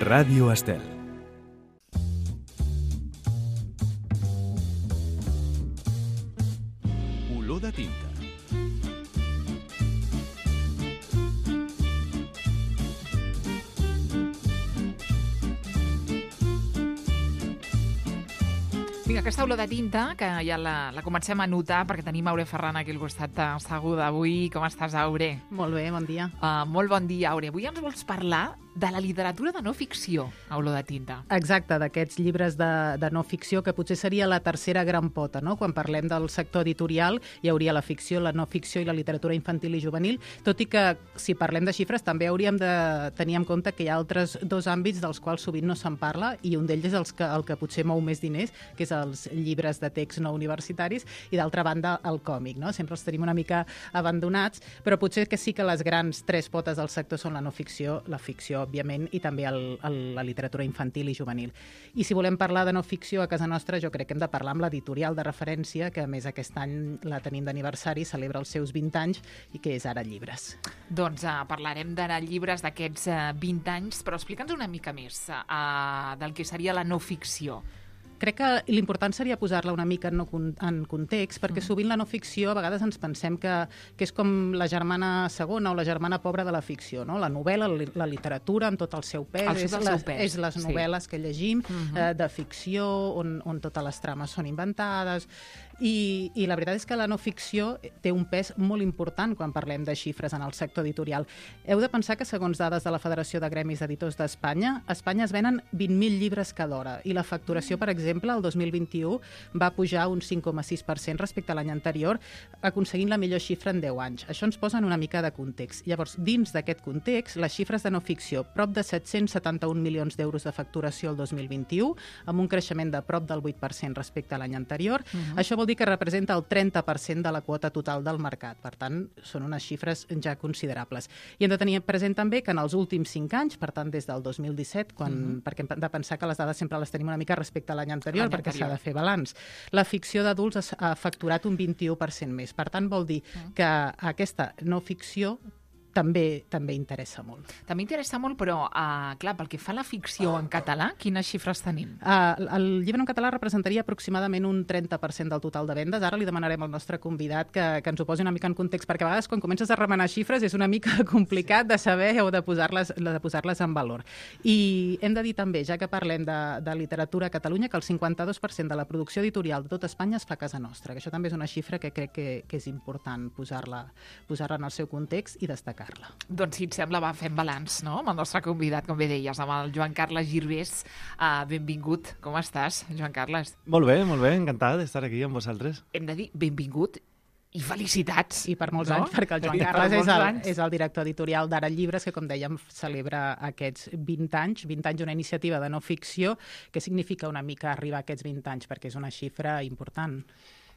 Ràdio Estel. Olor de tinta. Vinga, aquesta olor de tinta, que ja la comencem a notar perquè tenim Aure Ferran aquí al costat asseguda avui. Com estàs, Aure? Molt bé, bon dia. Molt bon dia, Aure. Avui ens vols parlar de la literatura de no ficció, a olor de tinta. Exacte, d'aquests llibres de no ficció, que potser seria la tercera gran pota, no? Quan parlem del sector editorial, hi hauria la ficció, la no ficció i la literatura infantil i juvenil, tot i que, si parlem de xifres, també hauríem de tenir en compte que hi ha altres dos àmbits dels quals sovint no se'n parla, i un d'ells és el que potser mou més diners, que és els llibres de text no universitaris, i d'altra banda el còmic, no? Sempre els tenim una mica abandonats, però potser que sí que les grans tres potes del sector són la no ficció, la ficció, òbviament, i també la literatura infantil i juvenil. I si volem parlar de no ficció a casa nostra, jo crec que hem de parlar amb l'editorial de referència, que a més aquest any la tenim d'aniversari, celebra els seus 20 anys, i que és Ara Llibres. Doncs parlarem d'Ara Llibres d'aquests 20 anys, però explica'ns una mica més del que seria la no ficció. Crec que l'important seria posar-la una mica en context, perquè sovint la no ficció a vegades ens pensem que és com la germana segona o la germana pobra de la ficció, no? La novel·la, la literatura, amb tot el seu pes, és les novel·les que llegim de ficció, on totes les trames són inventades, i la veritat és que la no ficció té un pes molt important quan parlem de xifres en el sector editorial. Heu de pensar que, segons dades de la Federació de Gremis d'Editors d'Espanya, a Espanya es venen 20.000 llibres cada hora, i la facturació, per exemple, el 2021 va pujar un 5,6% respecte a l'any anterior, aconseguint la millor xifra en 10 anys. Això ens posa en una mica de context. Llavors, dins d'aquest context, les xifres de no ficció, prop de 771 milions d'euros de facturació el 2021, amb un creixement de prop del 8% respecte a l'any anterior. Això vol dir que representa el 30% de la quota total del mercat. Per tant, són unes xifres ja considerables. I hem de tenir present també que en els últims 5 anys, per tant, des del 2017, perquè hem de pensar que les dades sempre les tenim una mica respecte a l'any anterior, perquè s'ha de fer balanç. La ficció d'adults ha facturat un 21% més. Per tant, vol dir que aquesta no ficció també interessa molt. També interessa molt, però, clar, pel que fa a la ficció en català, quines xifres tenim? El llibre en català representaria aproximadament un 30% del total de vendes. Ara li demanarem al nostre convidat que ens ho posi una mica en context, perquè a vegades quan comences a remenar xifres és una mica complicat de saber o de posar-les en valor. I hem de dir també, ja que parlem de literatura a Catalunya, que el 52% de la producció editorial de tot Espanya es fa a casa nostra, que això també és una xifra que crec que és important posar-la en el seu context i destacar. Doncs, si et sembla, fem balanç, no?, amb el nostre convidat, com bé deies, amb el Joan Carles Girbés. Benvingut. Com estàs, Joan Carles? Molt bé, encantat d'estar aquí amb vosaltres. Hem de dir benvingut i felicitats. I per molts anys, perquè el Joan Carles és el director editorial d'Ara Llibres, que, com dèiem, celebra aquests 20 anys d'una iniciativa de no ficció. Què significa una mica arribar a aquests 20 anys? Perquè és una xifra important.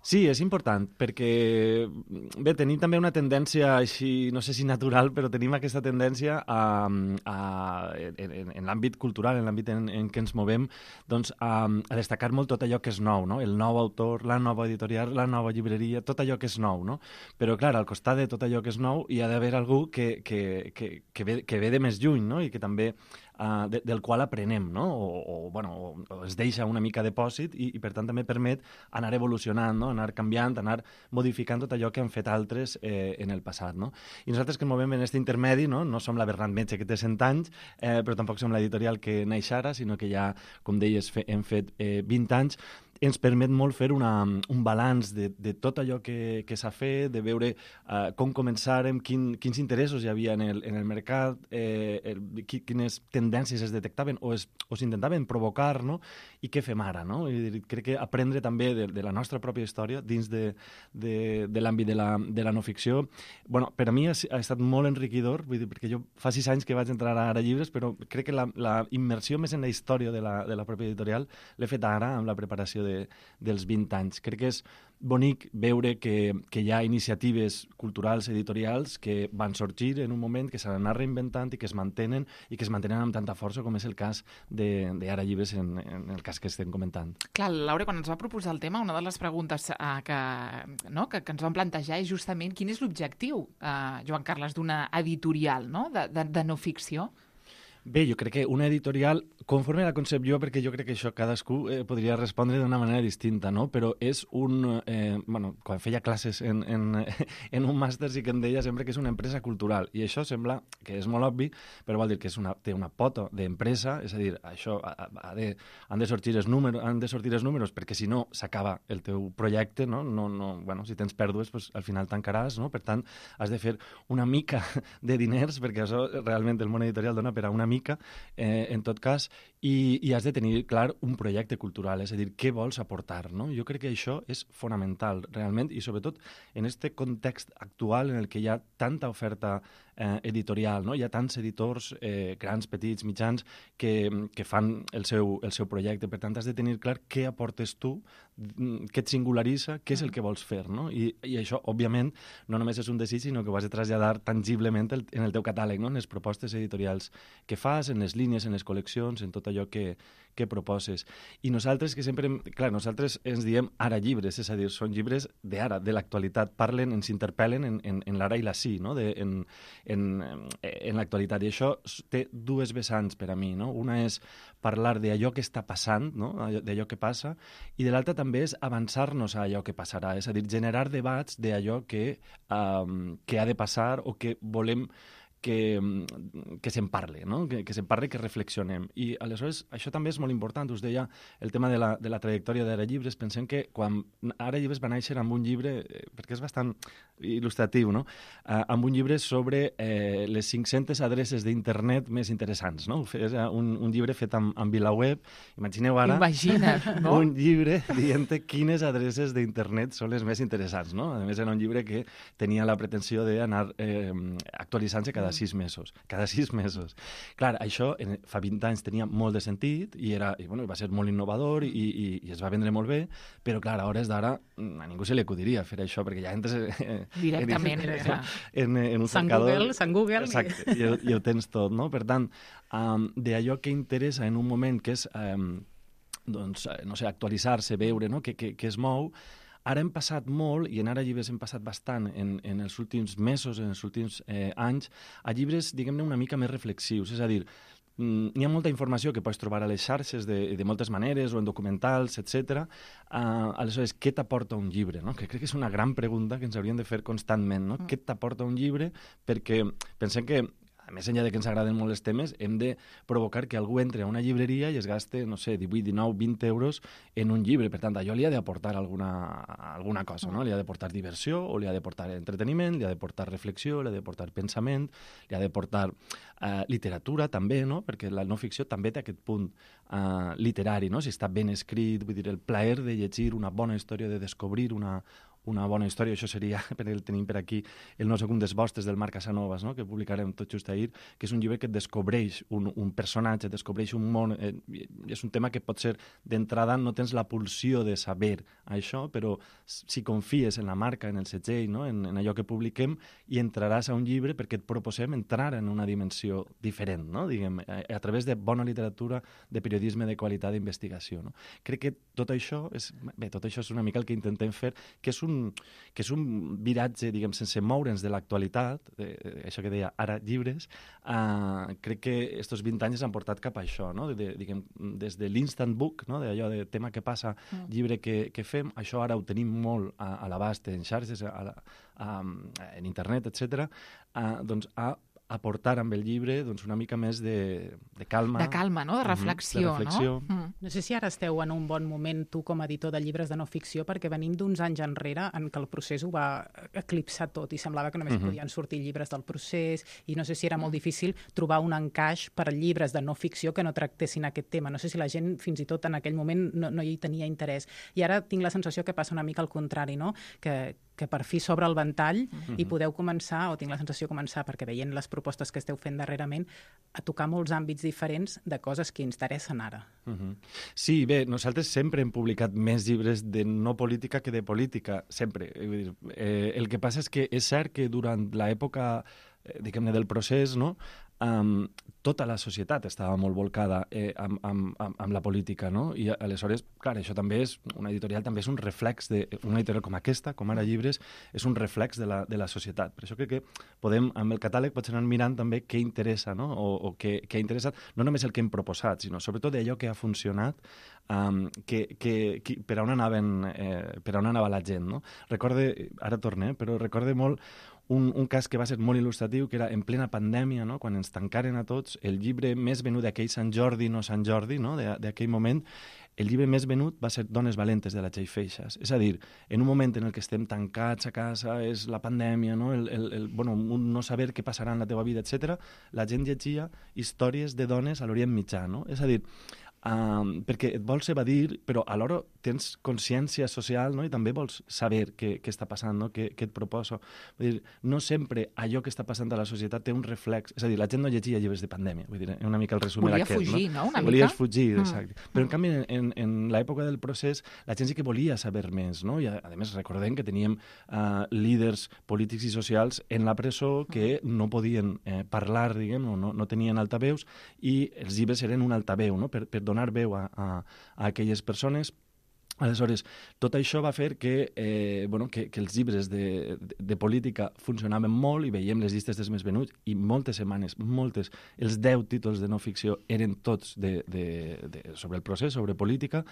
Sí, és important, perquè bé, tenim també una tendència així, no sé si natural, però tenim aquesta tendència en l'àmbit cultural, en l'àmbit en què ens movem, doncs a destacar molt tot allò que és nou, no? El nou autor, la nova editorial, la nova llibreria, tot allò que és nou, no? Però, clar, al costat de tot allò que és nou hi ha d'haver algú que ve de més lluny, no? I que també del qual aprenem, no? O es deixa una mica de pòsit i per tant també permet anar evolucionant, no? Anar canviant, anar modificant tot allò que han fet altres en el passat, no? I nosaltres que ens movem en aquest intermedi, no som la Bernat Metge, que té 100 anys, però tampoc som l'editorial que neix ara, sinó que ja, com deies, hem fet 20 anys, ens permet molt fer un balanç de tot allò que s'ha fet, de veure com començàrem, quins interessos hi havia en el mercat, quines tendències es detectaven o s'intentaven provocar, no? I què fem ara, no? I crec que aprendre també de la nostra pròpia història dins de l'àmbit de la no ficció, bueno, per a mi ha estat molt enriquidor, vull dir, perquè jo fa 6 anys que vaig entrar a Llibres, però crec que la immersió més en la història de la pròpia editorial l'he fet ara amb la preparació dels 20 anys. Crec que és bonic veure que hi ha iniciatives culturals, editorials, que van sorgir en un moment, que s'han anat reinventant i que es mantenen amb tanta força, com és el cas d'Ara Llibres en el cas que estem comentant. Clar, Laura, quan ens va proposar el tema, una de les preguntes que ens vam plantejar és justament quin és l'objectiu, Joan Carles, d'una editorial, no? de no ficció? Bé, jo crec que una editorial, conforme la concep jo, perquè jo crec que això cadascú podria respondre d'una manera distinta, no? Però és quan feia classes en un màster sí que em deia sempre que és una empresa cultural, i això sembla que és molt obvi, però vol dir que té una pota d'empresa, és a dir, això han de sortir els números, perquè si no s'acaba el teu projecte, no? Si tens pèrdues, pues, al final tancaràs, no? Per tant, has de fer una mica de diners, perquè això realment el món editorial dona per a una mica, en tot cas, i has de tenir clar un projecte cultural, és a dir, què vols aportar, no? Jo crec que això és fonamental, realment, i sobretot en aquest context actual en el que hi ha tanta oferta editorial, no? Hi ha tants editors, grans, petits, mitjans, que fan el seu projecte. Per tant, has de tenir clar què aportes tu, què et singularitza, què és el que vols fer, no? I això, òbviament, no només és un desig, sinó que ho has de traslladar tangiblement en el teu catàleg, no? En les propostes editorials que fas, en les línies, en les col·leccions, en tot allò que proposes. I nosaltres, que sempre... Clar, nosaltres ens diem ara llibres, és a dir, són llibres d'ara, de l'actualitat, parlen, ens interpel·len en l'ara i la sí, no? En l'actualitat. I això té dues vessants per a mi, no? Una és parlar d'allò que està passant, no? D'allò que passa, i de l'altra també és avançar-nos a allò que passarà, és a dir, generar debats d'allò que ha de passar o que volem que se'n parli, no? Que se'n parli, que reflexionem. I aleshores això també és molt important. Us deia el tema de la trajectòria d'Ara Llibres. Pensem que quan Ara Llibres va néixer amb un llibre, perquè és bastant il·lustratiu, no? Amb un llibre sobre les 500 adreces d'internet més interessants, no? És un llibre fet amb VilaWeb. Imagineu ara no? un llibre dient quines adreces d'internet són les més interessants, no? A més, era un llibre que tenia la pretensió d'anar actualitzant-se cada 6 mesos. Cada 6 mesos. Clar, això fa 20 anys tenia molt de sentit i va ser molt innovador i es va vendre molt bé, però clar, a hores d'ara a ningú se li acudiria fer això, perquè ja entres directament en un cercador. Sant Google. Exacte, i ho tens tot, no? Per tant, d'allò que interessa en un moment que és actualitzar-se, veure, no? que es mou. Ara hem passat molt, i en Ara Llibres hem passat bastant en els últims mesos, en els últims anys, a llibres, diguem-ne, una mica més reflexius. És a dir, n'hi ha molta informació que pots trobar a les xarxes de moltes maneres, o en documentals, etc. Aleshores, què t'aporta un llibre? No? Que crec que és una gran pregunta que ens hauríem de fer constantment. No? Què t'aporta un llibre? Perquè pensem que a més enllà de que ens agraden molt els temes, hem de provocar que algú entre a una llibreria i es gaste, no sé, 18, 19, 20 euros en un llibre. Per tant, allò li ha d'aportar alguna cosa, no? Li ha d'aportar diversió, o li ha d'aportar entreteniment, li ha d'aportar reflexió, li ha d'aportar pensament, li ha d'aportar literatura, també, no? Perquè la no ficció també té aquest punt literari, no? Si està ben escrit, vull dir, el plaer de llegir una bona història, de descobrir una bona història. Això seria, perquè el tenim per aquí, el No segundes vostres del Marc Casanovas, no? Que publicarem tot just ahir, que és un llibre que et descobreix un personatge, et descobreix un món. És un tema que pot ser, d'entrada, no tens la pulsió de saber això, però si confies en la marca, en el segell, no? en allò que publiquem, i entraràs a un llibre perquè et proposem entrar en una dimensió diferent, no? Diguem, a través de bona literatura, de periodisme de qualitat, d'investigació. No? Crec que tot això és una mica el que intentem fer, que és un viratge, diguem, sense moure'ns de l'actualitat, això que deia Ara Llibres. Crec que estos 20 anys han portat cap a això, no? Diguem, des de l'instant book, no? D'allò de tema que passa, llibre que fem, això ara ho tenim molt a l'abast en xarxes, en internet, etc. Doncs a aportar amb el llibre una mica més de calma. De calma, no? De reflexió, no? No sé si ara esteu en un bon moment, tu com a editor de llibres de no ficció, perquè venim d'uns anys enrere en què el procés ho va eclipsar tot i semblava que només podien sortir llibres del procés, i no sé si era molt difícil trobar un encaix per a llibres de no ficció que no tractessin aquest tema. No sé si la gent fins i tot en aquell moment no hi tenia interès. I ara tinc la sensació que passa una mica al contrari, no? Que per fi s'obre el ventall i podeu començar, o tinc la sensació de començar, perquè veient les propostes que esteu fent darrerament, a tocar molts àmbits diferents de coses que interessen ara. Sí, bé, nosaltres sempre hem publicat més llibres de no política que de política, sempre. El que passa és que és cert que durant l'època, diguem-ne, del procés, no? tota la societat estava molt volcada amb la política, no? I aleshores, clar, això també és, una editorial també és un reflex una editorial com aquesta, com Ara Llibres, és un reflex de la societat. Per això crec que podem, amb el catàleg, potser anar mirant també què interessa, no? O què ha interessat, no només el que hem proposat, sinó sobretot allò que ha funcionat, per on anava la gent, no? Ara torne, però recorde molt un cas que va ser molt il·lustratiu, que era en plena pandèmia, no? Quan ens tancaren a tots, el llibre més venut d'aquell Sant Jordi, no Sant Jordi, no? D'aquell moment, el llibre més venut va ser Dones valentes, de la Txell Feixas. És a dir, en un moment en el que estem tancats a casa, és la pandèmia, no? Un no saber què passarà en la teva vida, etc. La gent llegia històries de dones a l'Orient Mitjà, no? És a dir, perquè et vols evadir, però alhora tens consciència social, no? I també vols saber què està passant, no? Què et proposo. Vull dir, no sempre allò que està passant a la societat té un reflex. És a dir, la gent no llegia llibres de pandèmia. Vull dir, una mica el resum era aquest. Volia fugir, no? Una mica. Volies fugir, exacte. Però en canvi, en l'època del procés, la gent sí que volia saber més, no? I a més recordem que teníem líders polítics i socials en la presó que no podien parlar, diguem, no tenien altaveus, i els llibres eren un altaveu, no? Per donar veu a aquelles persones. Aleshores, tot això va fer que els llibres de política funcionaven molt i veiem les llistes dels més venuts i moltes setmanes, els 10 títols de no ficció eren tots sobre el procés, sobre política,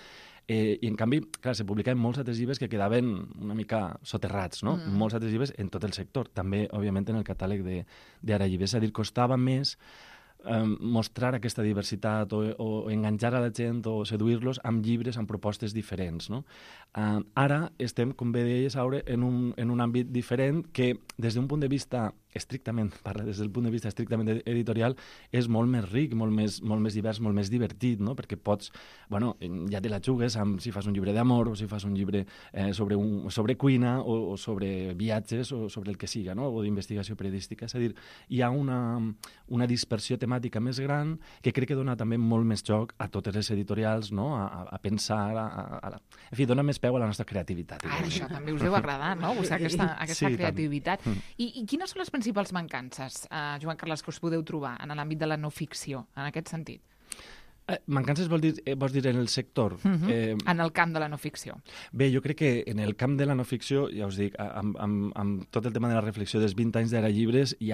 i en canvi, clar, se publicaven molts altres llibres que quedaven una mica soterrats, no? Molts altres llibres en tot el sector, també, òbviament, en el catàleg d'Ara Llibres. És a dir, costava més mostrar aquesta diversitat o enganxar a la gent o seduir-los amb llibres, amb propostes diferents, no? Ara estem, com bé deies, en un àmbit diferent que, des d'un punt de vista des del punt de vista estrictament editorial, és molt més ric, molt més divers, molt més divertit, no? Perquè pots, ja te la jugues amb si fas un llibre d'amor o si fas un llibre sobre cuina o sobre viatges o sobre el que siga, no? O d'investigació periodística. És a dir, hi ha una dispersió temàtica més gran que crec que dona també molt més joc a totes les editorials, no? A pensar, en fi, dona més peu a la nostra creativitat. Això també us deu agradar, no? Aquesta creativitat. I quines són les principals mancances, Joan Carles, que us podeu trobar en l'àmbit de la no ficció, en aquest sentit? Mancances vols dir en el sector? En el camp de la no ficció. Bé, jo crec que en el camp de la no ficció, ja us dic, amb tot el tema de la reflexió dels 20 anys d'Ara Llibres, i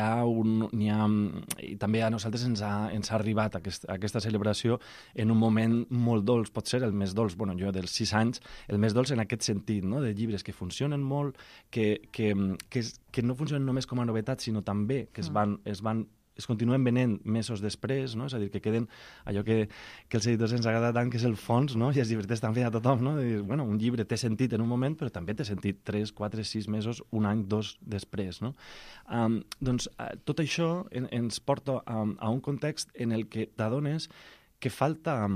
també a nosaltres ens ha arribat aquesta celebració en un moment molt dolç, pot ser el més dolç, jo dels 6 anys, el més dolç en aquest sentit, no? De llibres que funcionen molt, que no funcionen només com a novetat, sinó també que es continuen venent mesos després, no? És a dir, que queden allò que els editors ens agrada tant, que és el fons, no? I els llibres estan fent a tothom, no? De dir, un llibre té sentit en un moment, però també té sentit 3, 4, 6 mesos, un any, 2 després, no? Doncs tot això ens porta a un context en el que t'adones que falta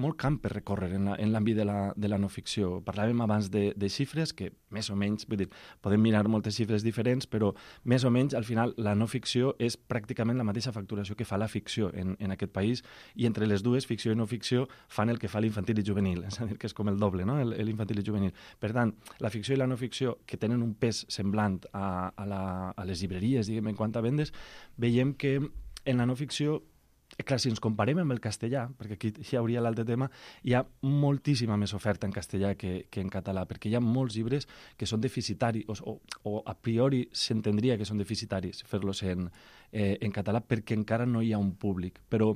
molt camp per recórrer en l'àmbit de la no ficció. Parlàvem abans de xifres, que més o menys, vull dir, podem mirar moltes xifres diferents, però més o menys, al final, la no ficció és pràcticament la mateixa facturació que fa la ficció en aquest país, i entre les dues, ficció i no ficció, fan el que fa l'infantil i juvenil, és a dir, que és com el doble, no?, l'infantil i juvenil. Per tant, la ficció i la no ficció, que tenen un pes semblant a les llibreries, diguem, en quant a vendes, veiem que en la no ficció, clar, si ens comparem amb el castellà, perquè aquí hi hauria l'altre tema, hi ha moltíssima més oferta en castellà que en català, perquè hi ha molts llibres que són deficitaris, o a priori s'entendria que són deficitaris fer-los en català, perquè encara no hi ha un públic. Però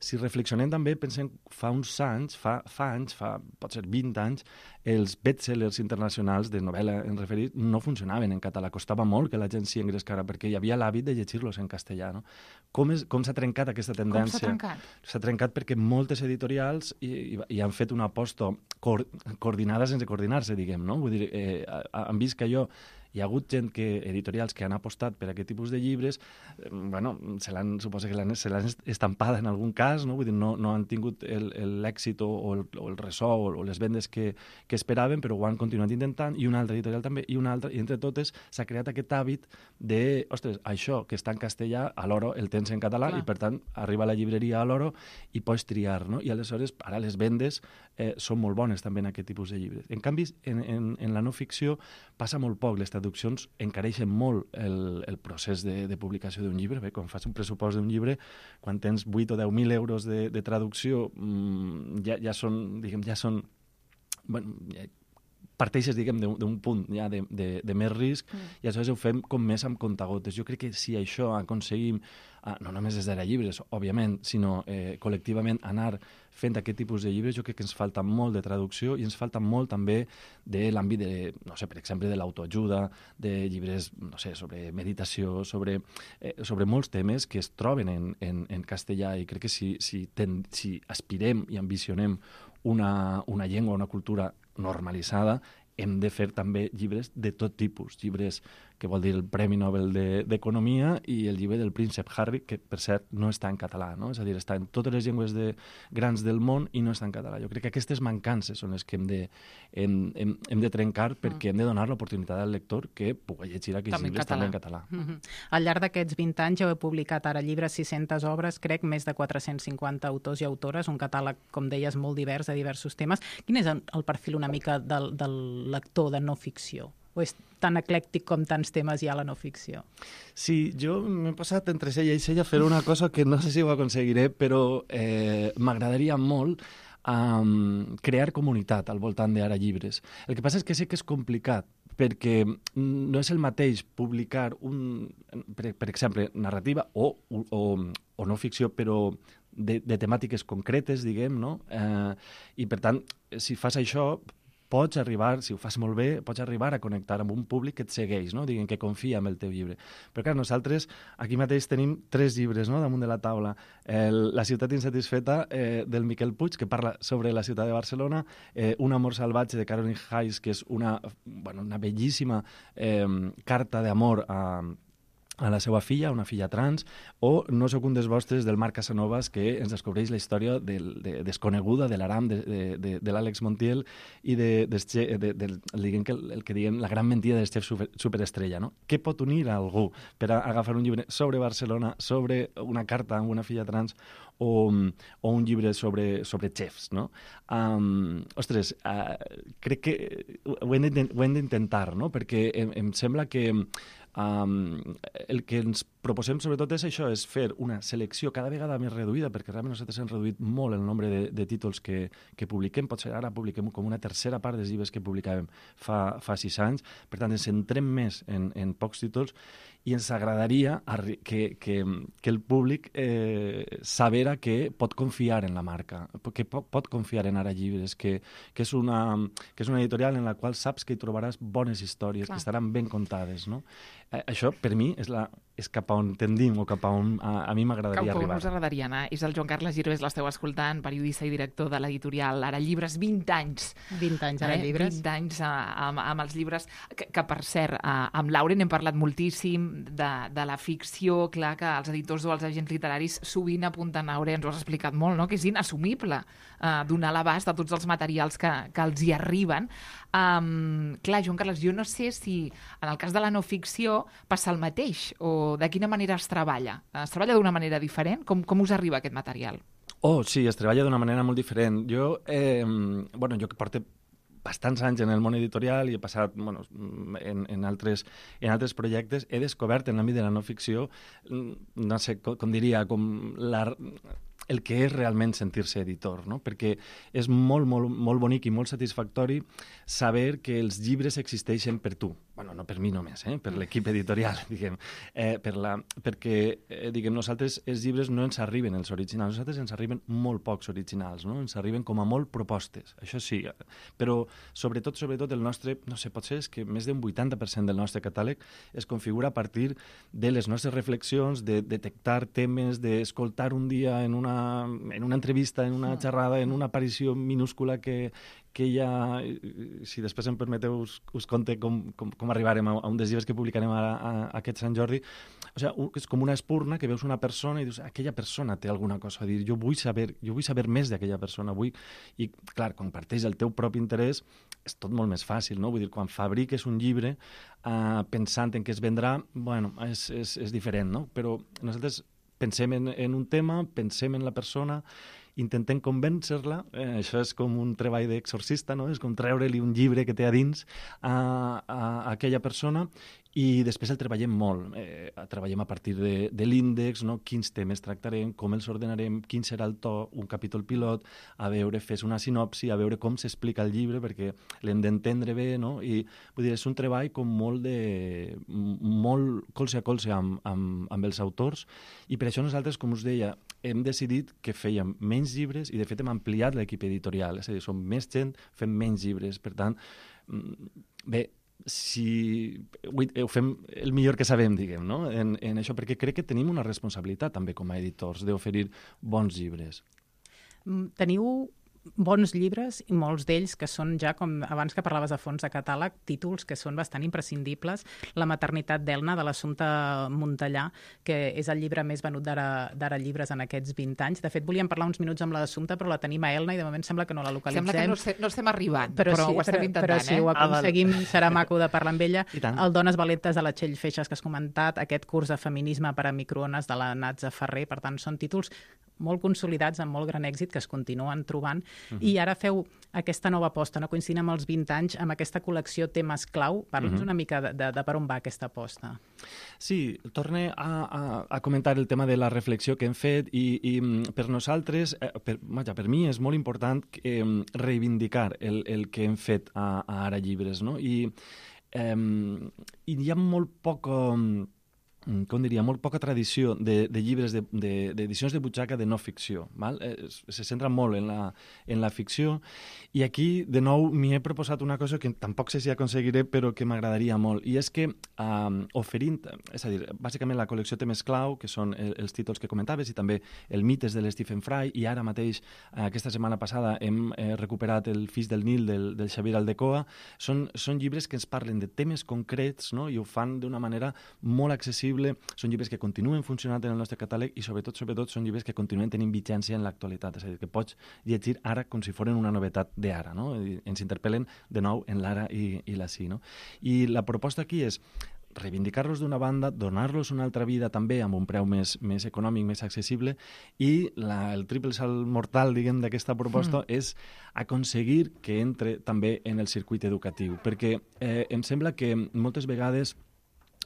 si reflexionem també, pensem, fa anys, pot ser 20 anys, els bestsellers internacionals de novel·la en referit no funcionaven en català. Costava molt que la gent s'hi engrescara, perquè hi havia l'hàbit de llegir-los en castellà, no? Com s'ha trencat aquesta tendència? Com s'ha trencat? S'ha trencat perquè moltes editorials hi han fet una aposta coordinada sense coordinar-se, diguem, no? Vull dir, han vist que hi ha hagut editorials que han apostat per aquest tipus de llibres, suposo que se l'han estampada en algun cas, no? Vull dir, no han tingut l'èxit o el ressò o les vendes que esperaven, però ho han continuat intentant, i una altra editorial també, i una altra, i entre totes s'ha creat aquest hàbit de, ostres, això que està en castellà, a l'Oro el tens en català, i per tant arriba a la llibreria a l'Oro i pots triar, no? I aleshores ara les vendes són molt bones també en aquest tipus de llibres. En canvi, en la no ficció passa molt poc. Les traduccions encareixen molt el procés de publicació d'un llibre. Bé, quan fas un pressupost d'un llibre, quan tens 8 o 10.000 euros de traducció, ja són, bueno, parteixes, d'un punt ja de més risc, i aleshores ho fem com més amb comptagotes. Jo crec que si això aconseguim, no només des d'Ara Llibres, òbviament, sinó col·lectivament anar fent aquest tipus de llibres, jo crec que ens falta molt de traducció i ens falta molt també de l'àmbit de, no sé, per exemple, de l'autoajuda, de llibres, no sé, sobre meditació, sobre molts temes que es troben en castellà, i crec que si aspirem i ambicionem una llengua, una cultura normalitzada, hem de fer també llibres de tot tipus, llibres que vol dir el Premi Nobel d'Economia i el llibre del príncep Harry, que per cert no està en català, no? És a dir, està en totes les llengües grans del món i no està en català. Jo crec que aquestes mancances són les que hem de trencar, perquè hem de donar l'oportunitat al lector que pugui llegir aquests llibres també en català. Al llarg d'aquests 20 anys heu publicat Ara Llibres 600 obres, crec, més de 450 autors i autores, un catàleg, com deies, molt divers, de diversos temes. Quin és el perfil una mica del lector de no ficció? O és tan eclèctic com tants temes hi ha a la no ficció? Sí, jo m'he passat entre cella i cella a fer una cosa que no sé si ho aconseguiré, però m'agradaria molt crear comunitat al voltant d'Ara Llibres. El que passa és que sé que és complicat, perquè no és el mateix publicar per exemple, narrativa o no ficció, però de temàtiques concretes, diguem, no? I per tant, si fas això, pots arribar, si ho fas molt bé, pots arribar a connectar amb un públic que et segueix, no? Diguem, que confia en el teu llibre. Però clar, nosaltres aquí mateix tenim 3 llibres, no?, damunt de la taula. La ciutat insatisfeta, del Miquel Puig, que parla sobre la ciutat de Barcelona, Un amor salvatge, de Caroline Hayes, que és una bellíssima carta d'amor a la seva filla, una filla trans, o No sóc un dels vostres, del Marc Casanovas, que ens descobreix la història desconeguda de l'Aram, de l'Àlex Montiel, i el que diguem la gran mentida del xef superestrella, no? Què pot unir a algú per agafar un llibre sobre Barcelona, sobre una carta amb una filla trans, o un llibre sobre xefs, no? Ostres, crec que ho hem d'intentar, no? Perquè em sembla que el que ens proposem sobretot és això, és fer una selecció cada vegada més reduïda, perquè realment nosaltres hem reduït molt el nombre de títols que publiquem. Potser ara publiquem com una tercera part dels llibres que publicàvem fa 6 anys. Per tant, ens centrem més en pocs títols, i ens agradaria que el públic sabera que pot confiar en la marca, que pot confiar en Ara Llibres, que és una editorial en la qual saps que hi trobaràs bones històries, que estaran ben contades, no? Això, per mi, és cap a on tendim, o cap a on a mi m'agradaria arribar. Cap a on us agradaria anar. És el Joan Carles Girbés, l'esteu escoltant, periodista i director de l'editorial Ara Llibres, 20 anys. 20 anys Ara Llibres. 20 anys amb els llibres, que per cert, amb Lauren hem parlat moltíssim de la ficció, clar que els editors o els agents literaris sovint apunten a Aurea, ens ho has explicat molt, no?, que és inassumible donar l'abast de tots els materials que els hi arriben. Clar, Joan Carles, jo no sé si en el cas de la no ficció passa el mateix, o de quina manera es treballa? Es treballa d'una manera diferent? Com us arriba aquest material? Sí, es treballa d'una manera molt diferent. Jo que porto bastants anys en el món editorial i he passat en altres projectes, he descobert en l'àmbit de la no ficció, no sé, com diria, el que és realment sentir-se editor, no? Perquè és molt, molt, molt bonic i molt satisfactori saber que els llibres existeixen per tu. No per mi només, per l'equip editorial, diguem. Perquè, nosaltres els llibres no ens arriben els originals, nosaltres ens arriben molt pocs originals, no? Ens arriben com a molt propostes, això sí, però sobretot el nostre, no sé, potser és que més d'un 80% del nostre catàleg es configura a partir de les nostres reflexions, de detectar temes, d'escoltar un dia en una entrevista, en una xerrada, en una aparició minúscula que hi ha, si després em permeteu us conte com arribarem a un dels llibres que publicarem a aquest Sant Jordi. O sigui, és com una espurna que veus una persona i dius, aquella persona té alguna cosa a dir, jo vull saber més d'aquella persona, i clar, quan parteix el teu propi interès és tot molt més fàcil, no? Vull dir, quan fabriques un llibre pensant en què es vendrà, és diferent, no? Però nosaltres pensem en un tema, pensem en la persona, intentem convèncer-la, això és com un treball d'exorcista, no? És com treure-li un llibre que té a dins a aquella persona, i després el treballem molt. Treballem a partir de l'índex, no? Quins temes tractarem, com els ordenarem, quin serà el to, un capítol pilot, a veure, fes una sinopsi, a veure com s'explica el llibre, perquè l'hem d'entendre bé, no? I vull dir, és un treball com molt colze a colze amb els autors, i per això nosaltres, com us deia, hem decidit que fèiem menys llibres, i de fet hem ampliat l'equip editorial, és a dir, som més gent, fem menys llibres. Per tant, bé, ho fem el millor que sabem, diguem, no? En això, perquè crec que tenim una responsabilitat també com a editors d'oferir bons llibres. Teniu bons llibres i molts d'ells que són ja, com abans que parlaves de fons de catàleg, títols que són bastant imprescindibles. La maternitat d'Elna, de l'Assumpta Montellà, que és el llibre més venut d'Ara Llibres en aquests 20 anys. De fet, volíem parlar uns minuts amb l'Assumpta, però la tenim a Elna i de moment sembla que no la localitzem. Sembla que no estem arribant, però ho estem intentant. Però si ho aconseguim serà maco de parlar amb ella. El Dones valentes de la Txell Feixas, que has comentat, aquest curs de feminisme per a microones de la Natza Ferrer, per tant, són títols molt consolidats, amb molt gran èxit, que es continuen trobant. I ara feu aquesta nova aposta, no? Coincidint amb els 20 anys, amb aquesta col·lecció Temes Clau. Parla'ns una mica de per on va aquesta aposta. Sí, torne a comentar el tema de la reflexió que hem fet, i per nosaltres, per mi és molt important reivindicar el que hem fet a Ara Llibres, no? I hi ha molt poc... com diria, molt poca tradició de llibres, d'edicions de butxaca de no ficció. Val? Se centra molt en la ficció, i aquí, de nou, m'hi he proposat una cosa que tampoc sé si aconseguiré, però que m'agradaria molt, i és que oferint, és a dir, bàsicament la col·lecció Temes Clau, que són els títols que comentaves, i també el Mites de l'Stephen Fry, i ara mateix, aquesta setmana passada, hem recuperat el Fills del Nil del Xavier Aldecoa, són llibres que ens parlen de temes concrets, no? I ho fan d'una manera molt accessible. Són llibres que continuen funcionant en el nostre catàleg, i sobretot són llibres que continuen tenint vigència en l'actualitat, és a dir, que pots llegir ara com si foren una novetat d'ara, no? I ens interpel·len de nou en l'ara i l'ací, no? I la proposta aquí és reivindicar-los d'una banda, donar-los una altra vida també amb un preu més econòmic, més accessible, i el triple salt mortal, diguem, d'aquesta proposta és aconseguir que entre també en el circuit educatiu, perquè em sembla que moltes vegades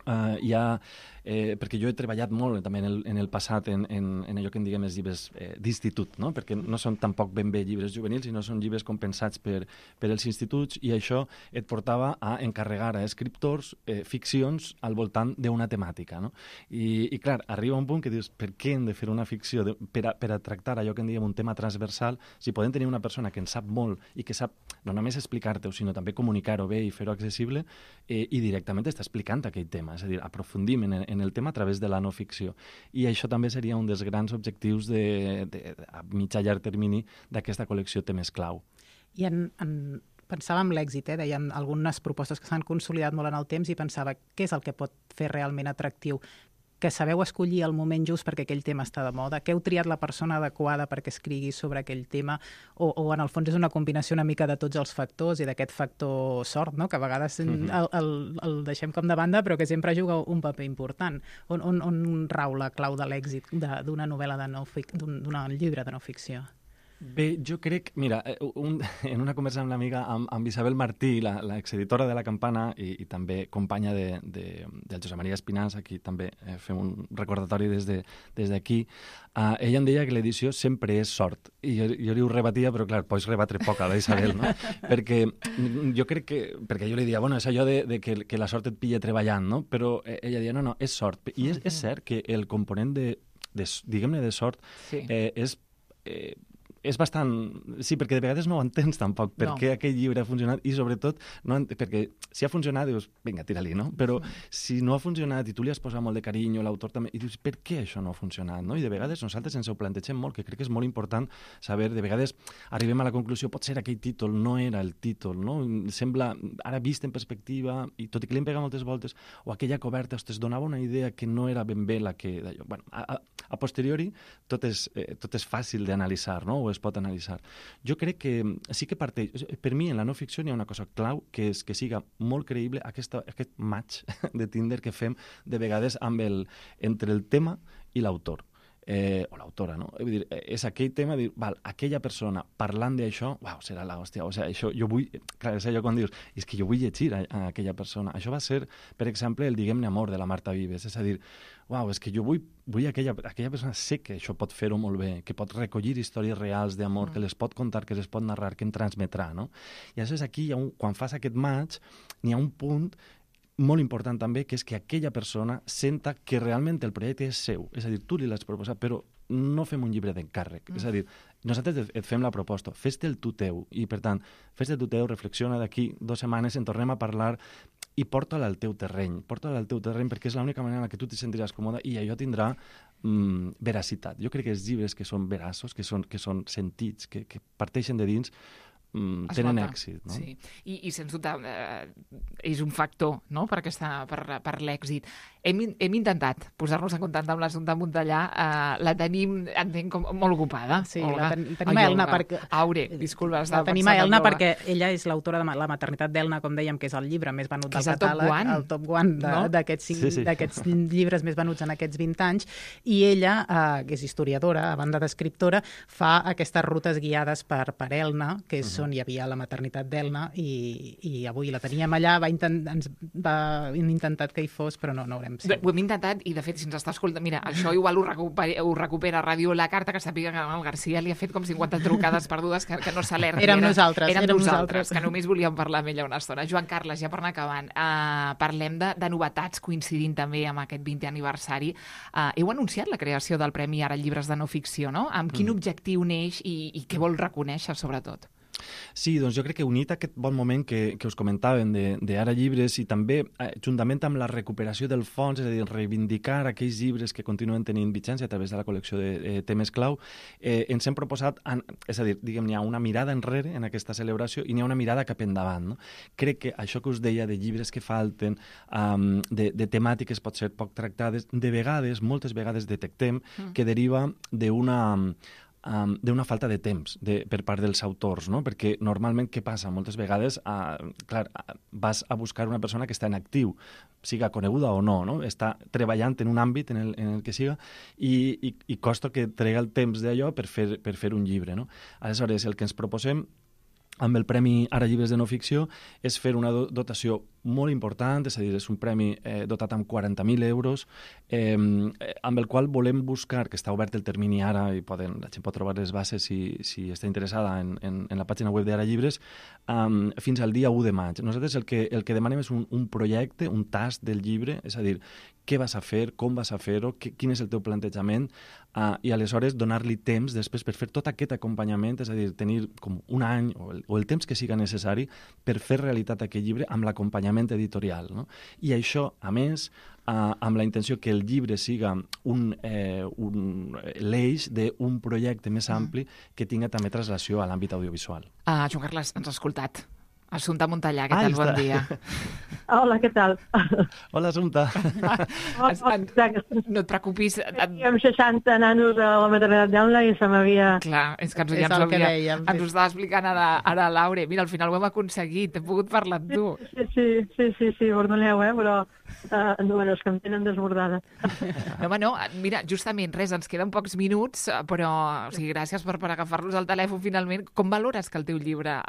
perquè jo he treballat molt també en el passat en allò que en diguem els llibres d'institut, no? Perquè no són tampoc ben bé llibres juvenils, sinó són llibres compensats per els instituts, i això et portava a encarregar a escriptors ficcions al voltant d'una temàtica, no? I clar, arriba un punt que dius, per què hem de fer una ficció per a tractar allò que en diguem un tema transversal, si podem tenir una persona que en sap molt i que sap no només explicar-te-ho, sinó també comunicar-ho bé i fer-ho accessible, i directament està explicant aquell tema, és a dir, aprofundim en el tema a través de la no ficció. I això també seria un dels grans objectius a mitjà llarg termini d'aquesta col·lecció Temes Clau. I pensava en l'èxit, deien algunes propostes que s'han consolidat molt en el temps, i pensava, què és el que pot fer realment atractiu? Que sabeu escollir el moment just perquè aquell tema està de moda, que heu triat la persona adequada perquè escrigui sobre aquell tema, o en el fons és una combinació una mica de tots els factors i d'aquest factor sort, no? Que a vegades el deixem com de banda, però que sempre juga un paper important. On rau la clau de l'èxit d'una novel·la d'un llibre de no ficció? Bé, jo crec... Mira, en una conversa amb l'amiga, amb Isabel Martí, l'exeditora de La Campana i també companya del Josep Maria Espinàs, aquí també fem un recordatori des d'aquí, ella em deia que l'edició sempre és sort. I jo li ho rebatia, però clar, pots rebatre poc a la Isabel, no? Perquè jo crec que... Perquè jo li dia, bueno, és allò de que la sort et pilla treballant, no? Però ella deia, no, és sort. I és cert que el component diguem-ne, de sort és bastant... Sí, perquè de vegades no ho entens tampoc per què aquell llibre ha funcionat, i sobretot perquè si ha funcionat dius, vinga, tira-li, no? Però si no ha funcionat i tu li has posat molt de carinyo, l'autor també, i dius, per què això no ha funcionat, no? I de vegades nosaltres ens ho plantegem molt, que crec que és molt important saber, de vegades arribem a la conclusió, potser aquell títol no era el títol, no? Sembla, ara vist en perspectiva, i tot i que li hem pegat moltes voltes, o aquella coberta, ostres, donava una idea que no era ben bé la que... Bueno, a posteriori tot és fàcil d'analitzar, no? O es pot analitzar. Jo crec que sí que parteix... Per mi, en la no ficció hi ha una cosa clau, que és que siga molt creïble aquest match de Tinder que fem de vegades entre el tema i l'autor. o l'autora, no? Vull dir, és aquell tema de dir, val, aquella persona parlant d'això, uau, serà l'hòstia, o sigui, això jo vull, clar, és allò quan dius, és que jo vull llegir a aquella persona. Això va ser, per exemple, el Diguem-ne amor de la Marta Vives, és a dir, uau, és que jo vull aquella persona, sé que això pot fer-ho molt bé, que pot recollir històries reals d'amor, que les pot contar, que les pot narrar, que em transmetrà, no? I aleshores aquí, quan fas aquest match, n'hi ha un punt molt important també, que és que aquella persona senta que realment el projecte és seu. És a dir, tu li l'has proposat, però no fem un llibre d'encàrrec. És a dir, nosaltres et fem la proposta, fes-te el tu teu, i per tant, fes-te el tu teu, reflexiona d'aquí 2 setmanes, en tornem a parlar i porta-la al teu terreny. Porta-la al teu terreny perquè és l'única manera en què tu te sentiràs còmode i allò tindrà veracitat. Jo crec que els llibres que són veraços, que són sentits, que parteixen de dins, tenen èxit, no? Sí, i sens dubte és un factor, no?, per l'èxit. Hem intentat posar-nos en contacte amb l'Assumpta Montellà, la tenim, entenc, molt ocupada. Sí, la tenim a Elna perquè... Aure, disculpa, la tenim a Elna perquè ella és l'autora de La maternitat d'Elna, com dèiem, que és el llibre més venut del catàleg, el top one d'aquests llibres més venuts en aquests 20 anys, i ella, que és historiadora, a banda d'escriptora, fa aquestes rutes guiades per Elna, que és on hi havia la maternitat d'Elna, i avui la teníem allà, hem intentat que hi fos, però no haurem sigut. Ho hem intentat, i de fet, si ens està escoltant, mira, això igual ho recupera Ràdio La Carta, que sàpiga que el García li ha fet com 50 trucades perdudes que no s'alerti. Érem nosaltres, que només volíem parlar amb ella una estona. Joan Carles, ja per anar acabant, parlem de novetats coincidint també amb aquest 20è aniversari. Heu anunciat la creació del Premi Ara Llibres de No Ficció, no? Amb quin objectiu neix i què vol reconèixer, sobretot? Sí, doncs jo crec que unit a aquest bon moment que us comentàvem d'Ara Llibres i també juntament amb la recuperació del fons, és a dir, reivindicar aquells llibres que continuen tenint vigència a través de la col·lecció de temes clau, ens hem proposat, és a dir, diguem, n'hi ha una mirada enrere en aquesta celebració i n'hi ha una mirada cap endavant, no? Crec que això que us deia de llibres que falten, de temàtiques pot ser poc tractades, de vegades, moltes vegades detectem que deriva d'una falta de temps per part dels autors, no? Perquè normalment què passa? Moltes vegades vas a buscar una persona que està en actiu, siga coneguda o no? Està treballant en un àmbit en el que siga i costa que trega el temps d'allò per fer un llibre, no? Aleshores, el que ens proposem amb el Premi Ara Llibres de No Ficció és fer una dotació molt important, és a dir, és un premi dotat amb 40.000 euros, amb el qual volem buscar, que està obert el termini ara i la gent pot trobar les bases si està interessada en la pàgina web d'Ara Llibres, fins al dia 1 de maig. Nosaltres el que demanem és un projecte, un tast del llibre, és a dir, què vas a fer, com vas a fer-ho, quin és el teu plantejament, i aleshores donar-li temps després per fer tot aquest acompanyament, és a dir, tenir com un any o el temps que siga necessari per fer realitat aquest llibre amb l'acompanyament editorial, no? I això, a més, amb la intenció que el llibre siga l'eix d'un projecte més ampli que tinga també traslació a l'àmbit audiovisual. Joan Carles, ens has escoltat. Assumpta Montellà, què tal? Bon dia. Hola, què tal? Hola, Assumpta. No et preocupis. Teníem 60 nanos a la maternitat d'Elna i se m'havia... Clar, és que ens ho estava explicant ara Laure. Mira, al final ho hem aconseguit, hem pogut parlar amb tu. Sí, perdoneu, però és que em tenen desbordada. No, mira, justament, ens queden pocs minuts, però gràcies per agafar-nos al telèfon finalment. Com valores que el teu llibre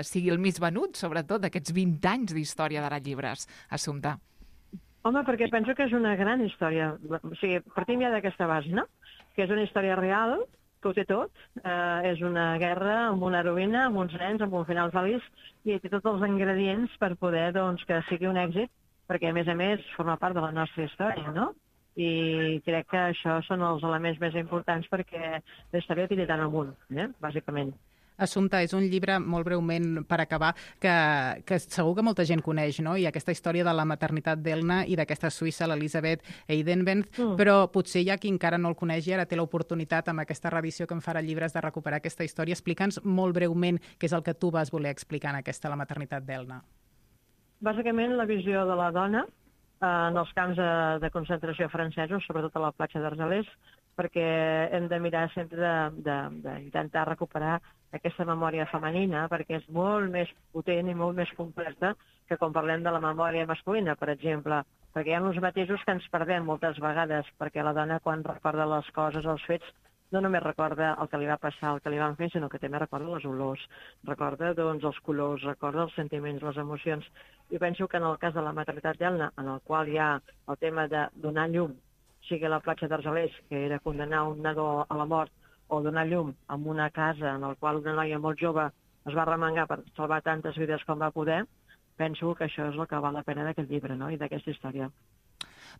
sigui el més venut, sobretot d'aquests 20 anys d'història d'Ara Llibres, Assumpta? Home, perquè penso que és una gran història. O sigui, partim ja d'aquesta base, no? Que és una història real, que ho té tot. És una guerra amb una heroïna, amb uns nens, amb un final feliç, i té tots els ingredients per poder que sigui un èxit, perquè, a més, forma part de la nostra història, no? I crec que això són els elements més importants perquè la història tiri tant amunt, bàsicament. Assumpta, és un llibre, molt breument per acabar, que segur que molta gent coneix, no? I aquesta història de la maternitat d'Elna i d'aquesta suïssa, l'Elisabeth Eidenbenz, però potser hi ha qui encara no el coneix i ara té l'oportunitat amb aquesta reedició que en farà Llibres de recuperar aquesta història. Explica'ns molt breument què és el que tu vas voler explicar en aquesta La maternitat d'Elna. Bàsicament, la visió de la dona en els camps de concentració francesos, sobretot a la platja d'Argelers, perquè hem de mirar sempre d'intentar recuperar aquesta memòria femenina, perquè és molt més potent i molt més completa que quan parlem de la memòria masculina. Per exemple, perquè hi ha uns matisos que ens perdem moltes vegades, perquè la dona quan recorda les coses, els fets, no només recorda el que li va passar, el que li van fer, sinó que també recorda les olors, recorda doncs, els colors, recorda els sentiments, les emocions. I penso que en el cas de la maternitat d'Elna, en el qual hi ha el tema de donar llum, sigui a la platja d'Argelers, que era condenar un nadó a la mort, o donar llum en una casa en la qual una noia molt jove es va remengar per salvar tantes vides com va poder, penso que això és el que val la pena d'aquest llibre, no?, i d'aquesta història.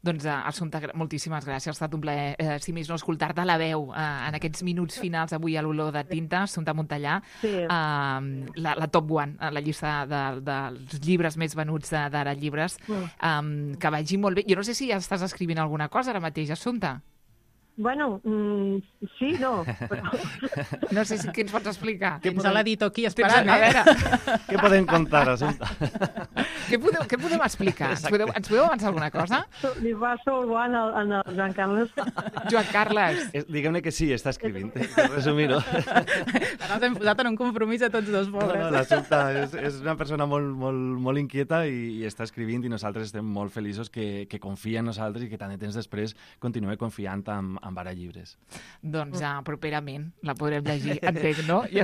Doncs, Assumpta, moltíssimes gràcies. Ha estat un plaer, si més no, escoltar-te a la veu en aquests minuts finals avui a l'Olor de Tinta, Assumpta Montellà, Sí. la top one, la llista dels llibres més venuts d'Ara Llibres. Que vagi molt bé. Jo no sé si ja estàs escrivint alguna cosa ara mateix, Assumpta. Bueno, sí, no. Però... No sé si què ens pots explicar. Tens a l'editor aquí esperant, A veure, Què podem contar, Assumpta? què podem explicar? Ens podeu avançar alguna cosa? Li va solvant en el Joan Carles. Joan Carles. Diguem-ne que sí, està escrivint, per resumir-ho. Ara ens hem posat en un compromís a tots dos, pobres. No, l'Assumpta és una persona molt inquieta i està escrivint, i nosaltres estem molt feliços que confia en nosaltres i que tant de temps després continua confiant amb Ara Llibres. Doncs properament la podrem llegir, entenc, no? I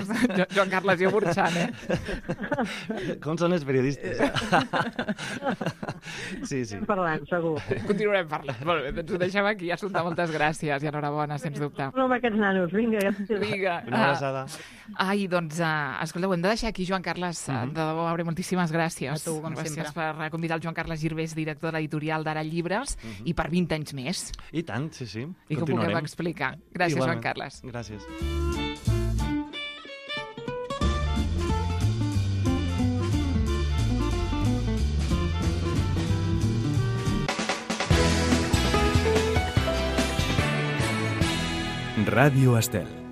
Joan Carles, jo burxant, Com són els periodistes? Sí. Parlant, segur. Continuarem parlant. Molt bé, doncs ho deixem aquí. Assumpta, moltes gràcies i enhorabona, sens dubte. No amb aquests nanos, vinga. Vinga. Una abraçada. Ai, doncs, escolteu, hem de deixar aquí, Joan Carles. De debò, Aure, moltíssimes gràcies. A tu, com gràcies sempre. per convidar el Joan Carles Girbés, director de l'editorial d'Ara Llibres, i per 20 anys més. I tant, sí. I que ho puguem explicar. Gràcies, Igualment. Joan Carles. Gràcies. Radio Estel.